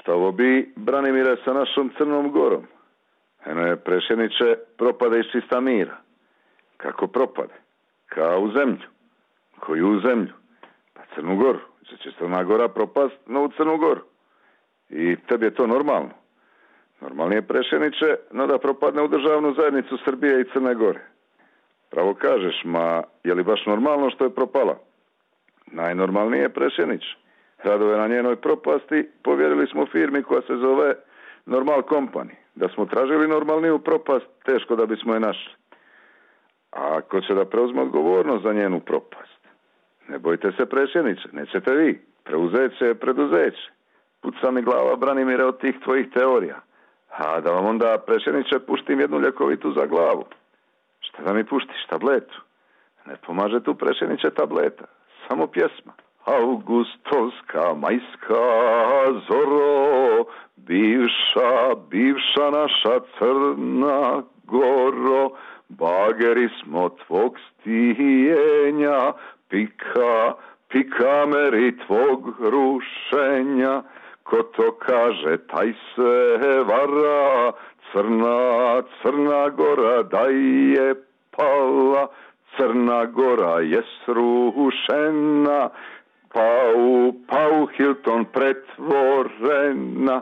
Ovo bi, Branimire, sa našom Crnom Gorom. Eno je, prešeniče, propade iz čista mira. Kako propade? Kao u zemlju. Koju u zemlju? Pa Crnu Goru. Će Crna Gora propast na u Crnu Goru. I tebi je to normalno. Normalnije, prešeniče, no da propadne u državnu zajednicu Srbije i Crne Gore. Pravo kažeš, ma je li baš normalno što je propala? Najnormalnije, prešeniče. Radove na njenoj propasti povjerili smo firmi koja se zove Normal Company. Da smo tražili normalniju propast, teško da bismo je našli. A ako će da preuzme odgovornost za njenu propast? Ne bojte se, prešeniče, nećete vi. Preuzeće, preduzeće. Puca mi glava, Branimire, od tih tvojih teorija. A da vam onda, prešeniče, puštim jednu ljekovitu za glavu. Šta da mi puštiš, tabletu? Ne pomaže tu, prešeniče, tableta. Samo pjesma. Augustovska, majska zoro, bivša naša Crna Goro, bageri smo tvog stijenja, pika meri tvog rušenja, ko to kaže, taj se vara, Crna Gora da je pala, Crna Gora je srušena, pa u Hilton pretvorena,